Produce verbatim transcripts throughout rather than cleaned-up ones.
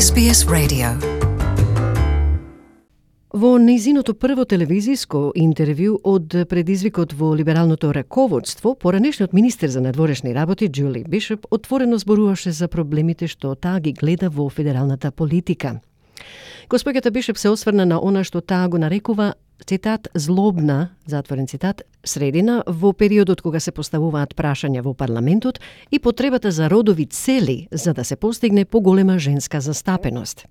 Ес Би Ес Radio. Во нејзиното прво телевизиско интервју од предизвикот во либералното раководство, поранешниот министер за надворешни работи Џули Бишоп отворено зборуваше за проблемите што таа ги гледа во федералната политика. Господјата Бишоп се осврна на она што таа го нарекува, цитат, злобна, затворен цитат, средина во периодот кога се поставуваат прашања во парламентот и потребата за родови цели за да се постигне поголема женска застапеност.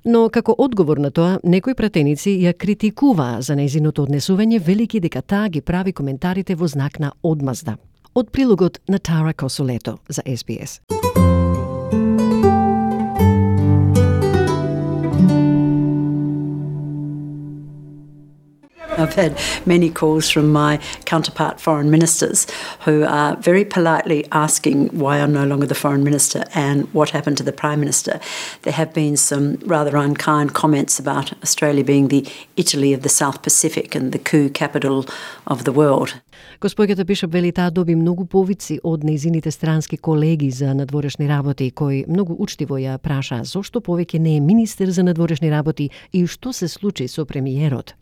Но како одговор на тоа, некои пратеници ја критикуваа за нејзиното однесување, велики дека таа ги прави коментарите во знак на одмазда. Од прилогот на Тара Косолето за Ес Би Ес. I've had many calls from my counterpart foreign ministers who are very politely asking why I'm no longer the foreign minister and what happened to the prime minister. There have been some rather unkind comments about Australia being the Italy of the South Pacific and the coup capital of the world. Господјата Бишоп вели таа доби многу повици од нејзините странски колеги за надворешни работи, кои многу учтиво ја прашаа зошто повеќе не е министер за надворешни работи и што се случи со премиерот.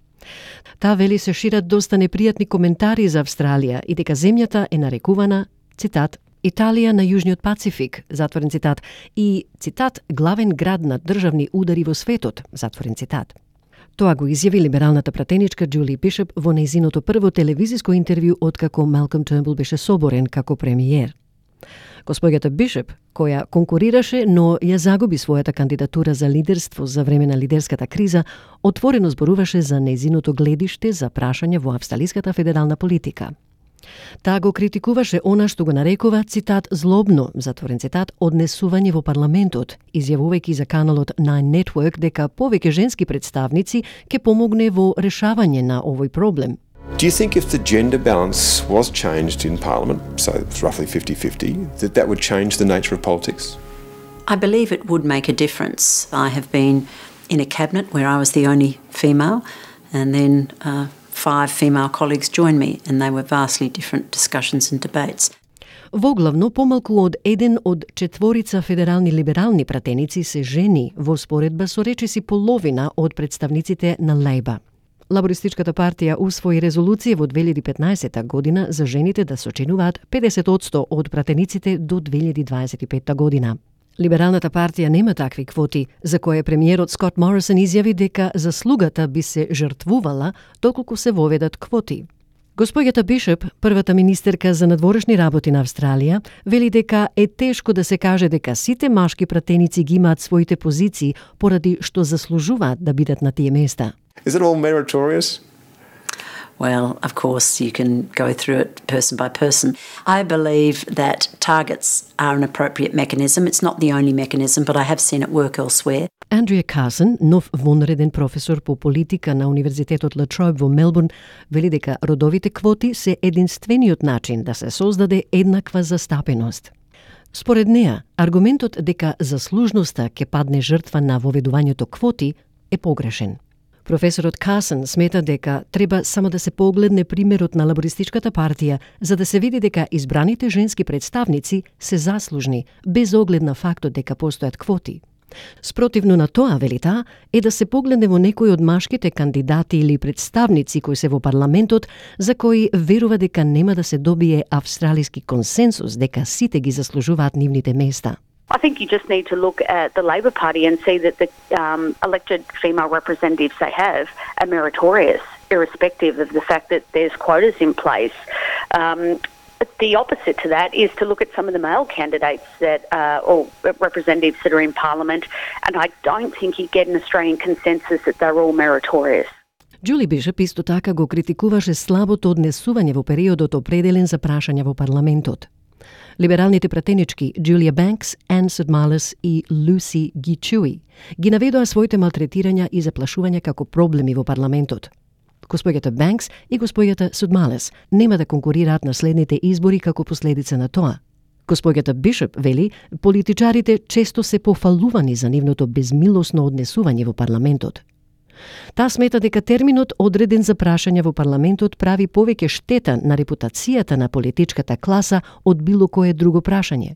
Таа вели се шират доста непријатни коментари за Австралија и дека земјата е нарекувана, цитат, Италија на Јужниот Пацифик, затворен цитат, и, цитат, главен град на државни удари во светот, затворен цитат. Тоа го изјави либералната пратеничка Џули Бишоп во нејзиното прво телевизиско интервју откако Малком Тернбул беше соборен како премиер. Господјата Бишоп, која конкурираше, но ја загуби својата кандидатура за лидерство за време на лидерската криза, отворено зборуваше за нејзиното гледиште за прашање во австралиската федерална политика. Таа го критикуваше она што го нарекува, цитат, злобно, затворен цитат, однесување во парламентот, изјавувајќи за каналот Nine Network дека повеќе женски представници ќе помогне во решавање на овој проблем. Do you think if the gender balance was changed in Parliament, so it's roughly fifty-fifty, that that would change the nature of politics? I believe it would make a difference. I have been in a cabinet where I was the only female, and then uh, five female colleagues joined me, and they were vastly different discussions and debates. Воглавно, помалку од еден од четворица федерални либерални пратеници се жени во споредба со речиси половина од представниците на Лейба. Лабористичката партија усвои резолуција во две илјади и петнаесетта година за жените да сочинуваат педесет одсто од пратениците до две илјади дваесет и петта година. Либералната партија нема такви квоти, за која премиерот Скот Морисон изјави дека заслугата би се жртвувала доколку се воведат квоти. Господјата Бишоп, првата министерка за надворешни работи на Австралија, вели дека е тешко да се каже дека сите машки пратеници ги имаат своите позиции поради што заслужуваат да бидат на тие места. Is it all meritorious? Well, of course, you can go through it person by person. I believe that targets are an appropriate mechanism. It's not the only mechanism, but I have seen it work elsewhere. Андрија Карсон, нов вонреден професор по политика на Универзитетот Ла Троbe во Мелбурн, вели дека родовите квоти се единствениот начин да се создаде еднаква застапеност. Според неа, аргументот дека заслужноста ќе падне жртва на воведувањето квоти е погрешен. Професорот Карсон смета дека треба само да се погледне примерот на лабористичката партија за да се види дека избраните женски представници се заслужни, без оглед на фактот дека постојат квоти. Спротивно на тоа, вели таа, е да се погледне во некои од машките кандидати или представници кои се во парламентот, за кои верува дека нема да се добие австралиски консенсус дека сите ги заслужуваат нивните места. I think you just need to look at the Labor Party and see that the um, elected female representatives they have are meritorious, irrespective of the fact that there's quotas in place. Um, the opposite to that is to look at some of the male candidates that uh, or representatives that are in Parliament, and I don't think you get an Australian consensus that they're all meritorious. Џули Бишоп исто така го критикуваше слабото однесување во периодот определен за прашања во парламентот. Либералните пратенички Джулија Бенкс, Ан Судмалес и Луси Гичуи ги наведоа своите малтретирања и заплашувања како проблеми во парламентот. Господјата Бенкс и господјата Судмалес нема да конкурираат на следните избори како последица на тоа. Господјата Бишоп вели, политичарите често се пофалувани за нивното безмилосно однесување во парламентот. Таа смета дека терминот одреден за прашања во парламентот прави повеќе штета на репутацијата на политичката класа од било кое друго прашање.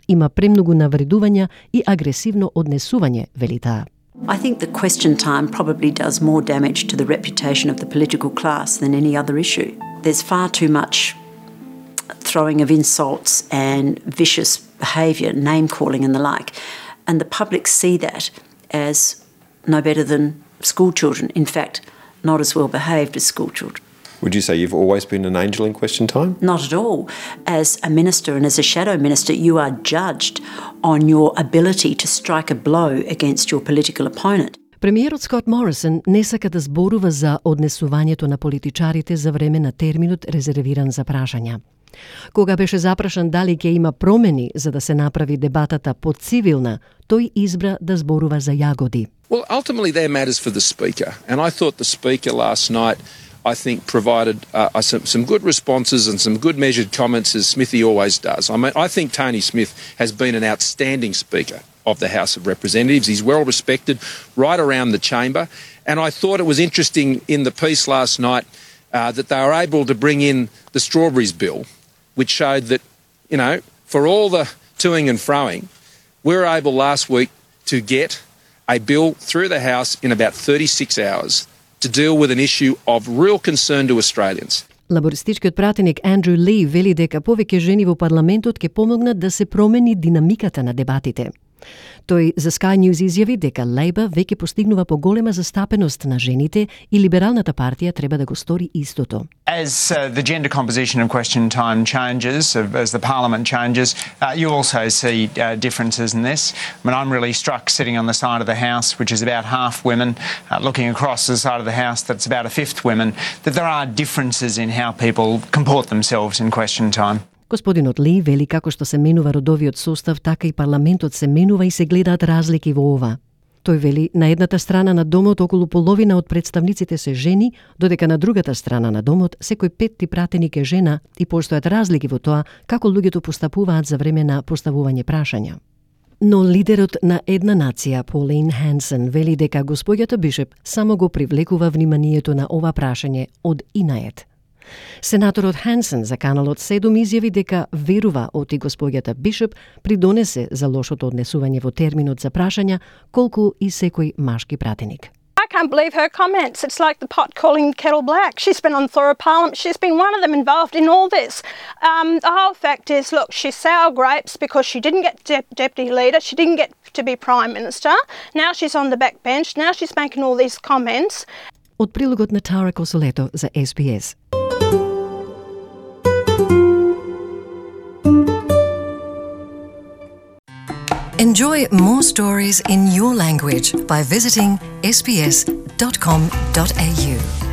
Има премногу навредувања и агресивно однесување, вели таа. I think the question time probably does more damage to the reputation of the political class than any other issue. There's far too much throwing of insults and vicious behaviour, name-calling and the like. And the public see that as no better than school children. In fact, not as well behaved as school children. Would you say you've always been an angel in question time? Not at all. As a minister and as a shadow minister, you are judged on your ability to strike a blow against your political opponent. Премиерот Скот Морисон не сака да зборува за однесувањето на политичарите за време на терминот резервиран за прашања. Кога беше запрашан дали ќе има промени за да се направи дебатата поцивилна, тој избра да зборува за јагоди. Well, ultimately they're matters for the Speaker, and I thought the Speaker last night, I think, provided uh, some, some good responses and some good measured comments, as Smithy always does. I mean, I think Tony Smith has been an outstanding Speaker of the House of Representatives. He's well respected right around the chamber, and I thought it was interesting in the piece last night uh, that they were able to bring in the Strawberries Bill, which showed that, you know, for all the toing and froing, we were able last week to get a bill through the House in about thirty-six hours to deal with an issue of real concern to Australians. Лабористичкиот пратеник Андрю Ли вели дека повеќе жени во парламентот ќе помогнат да се промени динамиката на дебатите. Тој за Sky News изјави дека Лейбър веќе постигнува поголема застапеност на жените и Либералната партија треба да го стори истото. As uh, the gender composition of question time changes, as the parliament changes, uh, you also see uh, differences in this. I mean, I'm really struck sitting on the side of the House, which is about half women, uh, looking across the side of the House that's about a fifth women, that there are differences in how people comport themselves in question time. Господинот Ли вели како што се менува родовиот состав, така и парламентот се менува и се гледаат разлики во ова. Тој вели на едната страна на домот околу половина од представниците се жени, додека на другата страна на домот секој петти пратеник е жена и постојат разлики во тоа како луѓето постапуваат за време на поставување прашања. Но лидерот на една нација, Pauline Hanson, вели дека господјата Бишоп само го привлекува вниманието на ова прашање од инает. Сенаторот Хансен за каналот седум изјави дека верува оти господјата Бишоп придонесе за лошото однесување во терминот за прашања, колку и секој машки пратеник. I can't believe her comments. It's like the pot calling the kettle black. She's been on thorough parliament. She's been one of them involved in all this. Um, the whole fact is, look, she's sour grapes because she didn't get de- deputy leader. She didn't get to be prime minister. Now she's on the back bench. Now she's making all these comments. Од прилогот на Тара Косолето за С Б С. Enjoy more stories in your language by visiting s b s dot com dot a u.